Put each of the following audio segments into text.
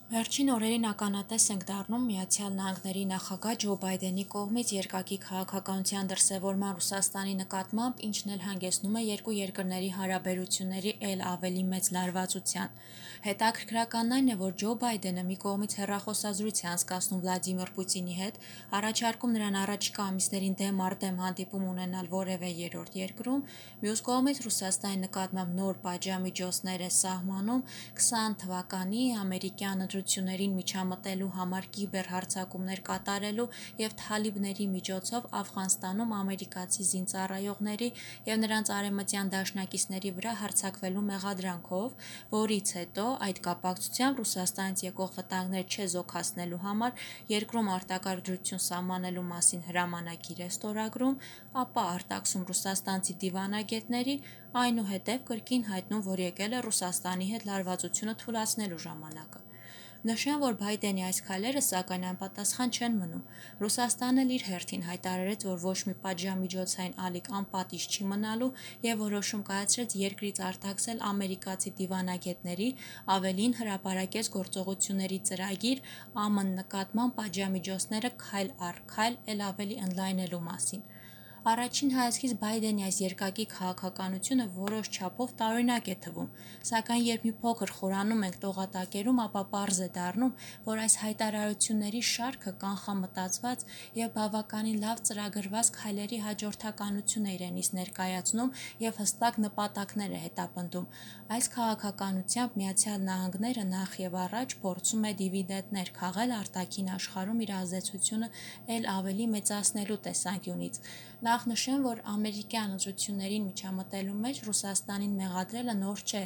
Վերջին օրերին ականատես ենք դառնում Միացյալ Նահանգների նախագահ Ջո Բայդենի կողմից երկակի քաղաքականության դրսևորման Ռուսաստանի նկատմամբ, ինչն էլ հանգեցնում է երկու երկրների հարաբերությունների էլ ավելի մեծ լարվածության։ Հետաքրքրականն այն է, որ Ջո Բայդենը մի կողմից հեռախոսազրույց է անցկացնում Վլադիմիր Պուտինի հետ, առաջարկում նրան առաջիկա ամիսներին դեմ առ դեմ հանդիպում ունենալ որևէ երրորդ երկրում, մյուս կողմից Ռուսաստանի նկատմամբ նոր պատժամիջոցներ է սահմանում 20 թվականի ամերիկյան ընտրություններին միջամտելու համար կիբերհարձակումներ կատարելու և թալիբների միջոցով Աֆղանստանում ամերիկացի զինծառայողների և նրանց արևմտյան դաշնակիցների վրա հարձակվելու մեղադրանքով, որից հետո այդ կապակցությամբ Ռուսաստանից եկող վտանգներ չեզոքացնելու համար երկրում արտակարգ դրություն սահմանելու մասին հրամանագիր է ստորագրում, ապա արտաքսում ռուսաստանցի դիվանագետների, այնուհետև կրկին հայտնում, որ եկել է Ռուսաստանի հետ լարվածությունը թուլացնելու ժամանակը։ Նշեմ, որ Բայդենի այս քայլերը սակայն անպատասխան չեն մնում։ Ռուսաստանն էլ իր հերթին հայտարարեց, որ ոչ մի պատժամիջոցային ալիք անպատիժ չի մնալու և որոշում կայացրեց երկրից արտաքսել ամերիկացի դիվանագետների, ավելին հրապարակեց գործողությունների ծրագիր ԱՄՆ նկատմամբ պատժամիջոցները քայլ առ քայլ էլ ավելի ընդլայնելու մասին։ Առաջին հայացքից Բայդենի այս երկակի քաղաքականությունը որոշ չափով տարօրինակ է թվում, սակայն երբ մի փոքր խորանում ենք տողատակերում, ապա պարզ է դառնում, որ այս հայտարարությունների շարքը կանխամտածված և բավականին լավ ծրագրված քայլերի հաջորդականություն է իրենից ներկայացնում և հստակ նպատակներ է հետապնդում։ Այս քաղաքականությամբ Միացյալ Նահանգները նախևառաջ փորձում է դիվիդենտներ քաղել արտաքին աշխարհում իր ազդեցությունը էլ ավելի մեծացնելու տեսանկյունից։ Նախ նշեմ, որ ամերիկյան ընտրություններին միջամտելու մեջ Ռուսաստանին մեղադրելը նոր չէ։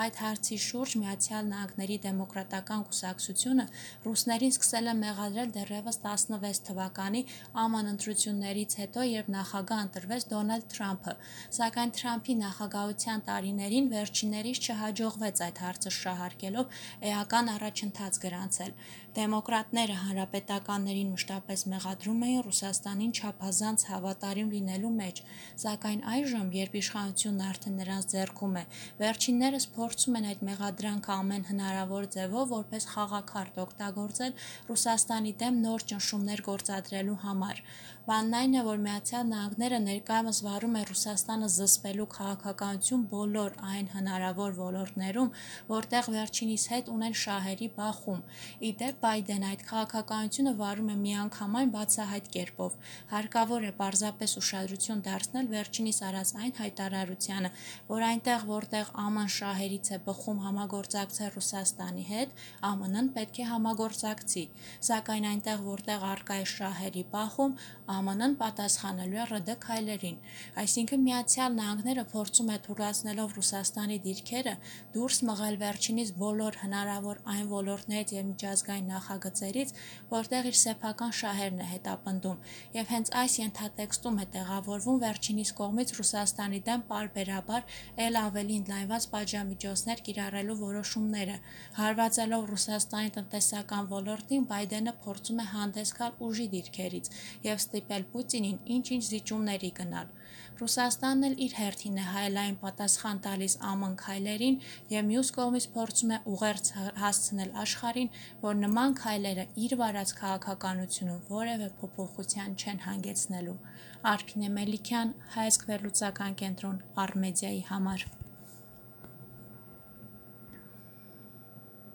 Այդ հարցի շուրջ Միացյալ Նահանգների դեմոկրատական կուսակցությունը ռուսներին սկսել է մեղադրել դեռևս 16 թվականի ԱՄՆ ընտրություններից հետո, երբ նախագահ ընտրվեց Դոնալդ Թրամփը, սակայն Թրամփի նախագահության տարիներին վերջիններիս չհաջողվեց այդ հարցը շահարկելով էական առաջընթաց գրանցել։ Դեմոկրատները հանրապետականներին մշտապես մեղադրում էին Ռուսաստանին չափազանց հավատարիմ լինելու մեջ, սակայն այժմ, երբ իշխանությունն արդեն նրանց ձեռքում է, վերջիններս փորձում են այդ մեղադրանքը ամեն հնարավոր ձևով որպես խաղաքարտ օգտագործել Ռուսաստանի դեմ նոր ճնշումներ գործադրելու համար։ Բանն այն է, որ Միացյալ Նահանգները ներկայումս վարում է Ռուսաստանը զսպելու քաղաքականություն բոլոր այն հնարավոր ոլորտներում, որտեղ վերջինիս հետ ունեն շահերի բախում։ Ի դեպ, Բայդենը այդ քաղաքականությունը վարում է միանգամայն բացահայտ կերպով։ Հարկավոր է պարզապես ուշադրություն դարձնել վերջինիս արած այն հայտարարությանը, որ այնտեղ, որտեղ ԱՄՆ-ն շահերից է բխում համագործակցել Ռուսաստանի հետ, ԱՄՆ-ն պետք է համագործակցի, սակայն այնտեղ, որտեղ առկա է շահերի բախում, ԱՄՆ-ն պատասխանելու է ՌԴ քայլերին։ Այսինքն Միացյալ Նահանգները փորձում է թուլացնելով Ռուսաստանի դիրքերը դուրս մղել վերջինիս բոլոր հնարավոր այն ոլորտներից և միջազգային նախագծերից, որտեղ իր սեփական շահերն է հետապնդում, և հենց այս ենթատեքստում է տեղավորվում վերջինիս կողմից Ռուսաստանի դեմ պարբերաբար էլ ավելի ընդլայնված պատժամիջոցներ կիրառելու որոշումները։ Հարվածելով Ռուսաստանի տնտեսական ոլորտին, Բայդենը փորձում է հանդես գալ ուժի դիրքերից և ստիպել Պուտինին ինչ-ինչ զիջումների գնալ։ Ռուսաստանն էլ իր հերթին է հայելային պատասխան տալիս ԱՄՆ քայլերին և մյուս կողմից փորձում է ուղերձ հասցնել աշխարհին, որ նման քայլերը իր վարած քաղաքականությունում որևէ փոփոխության չեն հանգեցնելու։ Արփինե Մելիքյան, Հայացք վերլուծական կենտրոն, Առ Մեդիայի համար։